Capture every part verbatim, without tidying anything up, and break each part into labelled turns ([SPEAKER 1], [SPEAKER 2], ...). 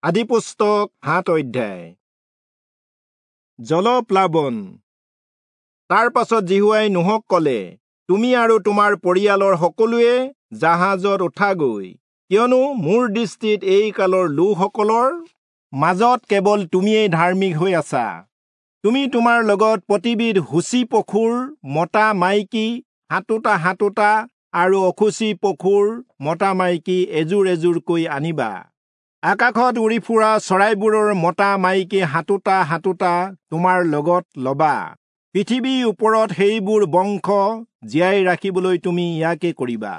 [SPEAKER 1] আদিপুস্তক সাত অধ্যায়। জলপ্লাৱন। তাৰ পাছত যিহোৱাই নোহক কলে, তুমি আৰু তোমাৰ পৰিয়ালৰ সকলোৱে জাহাজত উঠাগৈ, কিয়নো মোৰ দৃষ্টিত এই কালৰ লোকসকলৰ মাজত কেৱল তুমিয়েই ধাৰ্মিক হৈ আছা। তুমি তোমাৰ লগত প্ৰতিবিধ সূচী পশুৰ মতা মাইকী সাতোটা সাতোটা আৰু অসুচী পশুৰ মতা মাইকী এযোৰ এযোৰকৈ আনিবা। আকাশত উৰি ফুৰা চৰাইবোৰৰ মতা মাইকী সাতোটা সাতোটা তোমাৰ লগত লবা। পৃথিৱীৰ ওপৰত সেইবোৰ বংশ জীয়াই ৰাখিবলৈ তুমি ইয়াকে কৰিবা।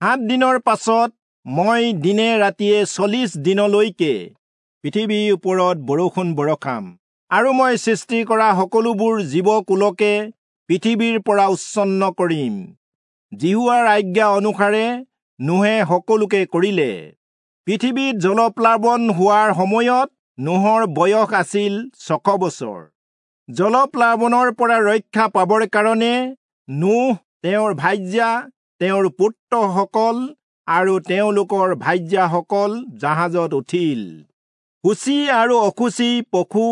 [SPEAKER 1] সাত দিনৰ পাছত মই দিনে ৰাতিয়ে চল্লিশ দিনলৈকে পৃথিৱীৰ ওপৰত বৰষুণ বৰষাম, আৰু মই সৃষ্টি কৰা সকলোবোৰ জীৱকুলকে পৃথিৱীৰ পৰা উচ্ছন্ন কৰিম। যিহোৱাৰ আজ্ঞা অনুসাৰে নোহে সকলোকে কৰিলে। পৃথিৱীত জলপ্লাৱন হোৱাৰ সময়ত নোহৰ বয়স আছিল ছশ বছৰ। জলপ্লাৱনৰ পৰা ৰক্ষা পাবৰ কাৰণে নোহ, তেওঁৰ ভাৰ্যা, তেওঁৰ পুত্ৰসকল আৰু তেওঁলোকৰ ভাৰ্যাসকল জাহাজত উঠিল। সূচী আৰু অসুচী পশু,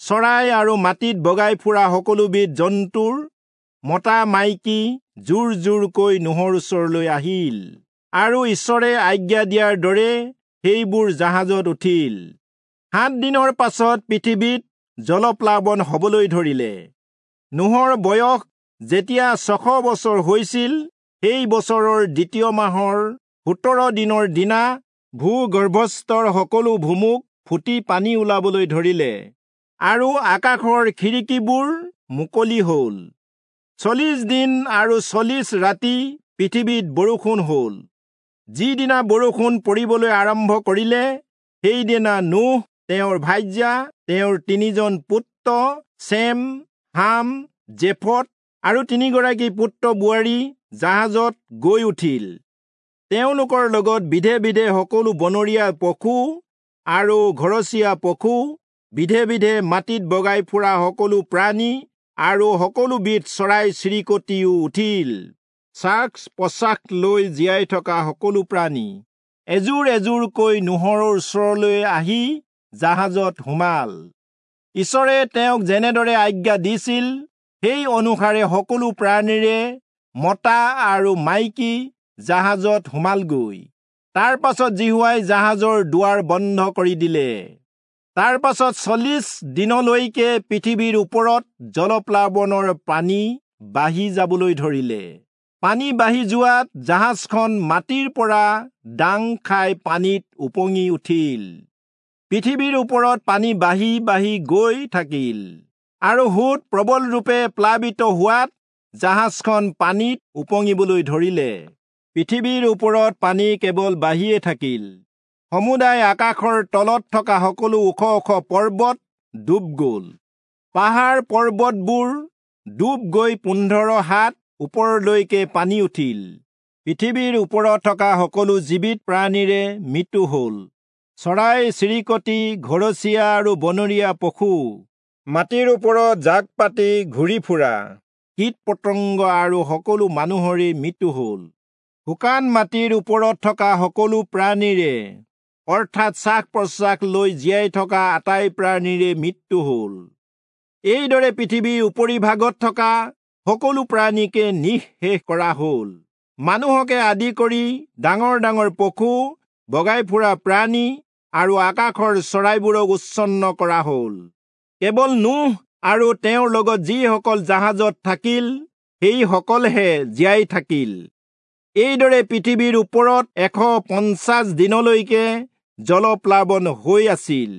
[SPEAKER 1] চৰাই আৰু মাটিত বগাই ফুৰা সকলোবিধ জন্তুৰ মতা মাইকী জোৰ জোৰকৈ নোহৰ ওচৰলৈ আহিল, আৰু ঈশ্বৰে আজ্ঞা দিয়াৰ দৰে সেইবোৰ জাহাজত উঠিল। সাত দিনৰ পাছত পৃথিৱীত জলপ্লাৱন হবলৈ ধৰিলে। নোহৰ বয়স যেতিয়া ছশ বছৰ হৈছিল, সেই বছৰৰ দ্বিতীয় মাহৰ সোতৰ দিনৰ দিনা ভূগৰ্ভস্থৰ সকলো ভুমুক ফুটি পানী ওলাবলৈ ধৰিলে, আৰু আকাশৰ খিৰিকীবোৰ মুকলি হল। চল্লিশ দিন আৰু চল্লিশ ৰাতি পৃথিৱীত বৰষুণ হল। যিদিনা বৰষুণ পৰিবলৈ আৰম্ভ কৰিলে, সেইদিনা নোহ, তেওঁৰ ভাৰ্যা, তেওঁৰ তিনিজন পুত্ৰ চেম, হাম, জেফত আৰু তিনিগৰাকী পুত্ৰ বোৱাৰী জাহাজত গৈ উঠিল। তেওঁলোকৰ লগত বিধে বিধে সকলো বনৰীয়া পশু আৰু ঘৰচীয়া পশু, বিধে বিধে মাটিত বগাই ফুৰা সকলো প্ৰাণী আৰু সকলোবিধ চৰাই চিৰিকটিও উঠিল। শ্বাস প্ৰশ্বাস লৈ জীয়াই থকা সকলো প্ৰাণী এযোৰ এযোৰকৈ নোহৰ ওচৰলৈ আহি জাহাজত সোমাল। ঈশ্বৰে তেওঁক যেনেদৰে আজ্ঞা দিছিল, সেই অনুসাৰে সকলো প্ৰাণীৰে মতা আৰু মাইকী জাহাজত সোমালগৈ। তাৰ পাছত যিহোৱাই জাহাজৰ দুৱাৰ বন্ধ কৰি দিলে। তাৰ পাছত চল্লিশ দিনলৈকে পৃথিৱীৰ ওপৰত জলপ্লাৱনৰ পানী বাঢ়ি যাবলৈ ধৰিলে। পানী বাঢ়ি যোৱাত জাহাজখন মাটিৰ পৰা দাং খাই পানীত উপঙি উঠিল। পৃথিৱীৰ ওপৰত পানী বাঢ়ি বাঢ়ি গৈ থাকিল, আৰু সোঁত প্ৰবলৰূপে প্লাৱিত হোৱাত জাহাজখন পানীত উপঙিবলৈ ধৰিলে। পৃথিৱীৰ ওপৰত পানী কেৱল বাঢ়িয়ে থাকিল। সমুদায় আকাশৰ তলত থকা সকলো ওখ ওখ পৰ্বত ডুব গল। পাহাৰ পৰ্বতবোৰ ডুব গৈ পোন্ধৰ হাত ওপৰলৈকে পানী উঠিল। পৃথিৱীৰ ওপৰত থকা সকলো জীৱিত প্ৰাণীৰে মৃত্যু হল। চৰাই চিৰিকটি, ঘৰচীয়া আৰু বনৰীয়া পশু, মাটিৰ ওপৰত জাক পাতি ঘূৰি ফুৰা কীট পতংগ আৰু সকলো মানুহৰে মৃত্যু হল। শুকান মাটিৰ ওপৰত থকা সকলো প্ৰাণীৰে, অৰ্থাৎ শ্বাস প্ৰশ্বাস লৈ জীয়াই থকা আটাই প্ৰাণীৰে মৃত্যু হল। এইদৰে পৃথিৱীৰ উপৰিভাগত থকা সকলো প্ৰাণীকে নিঃশেষ কৰা হল। মানুহকে আদি কৰি ডাঙৰ ডাঙৰ পশু, বগাই ফুৰা প্ৰাণী আৰু আকাশৰ চৰাইবোৰক উচ্ছন্ন কৰা হল। কেৱল নোহ আৰু তেওঁৰ লগত যিসকল জাহাজত থাকিল, সেইসকলহে জীয়াই থাকিল। এইদৰে পৃথিৱীৰ ওপৰত এশ পঞ্চাছ দিনলৈকে জলপ্লাৱন হৈ আছিল।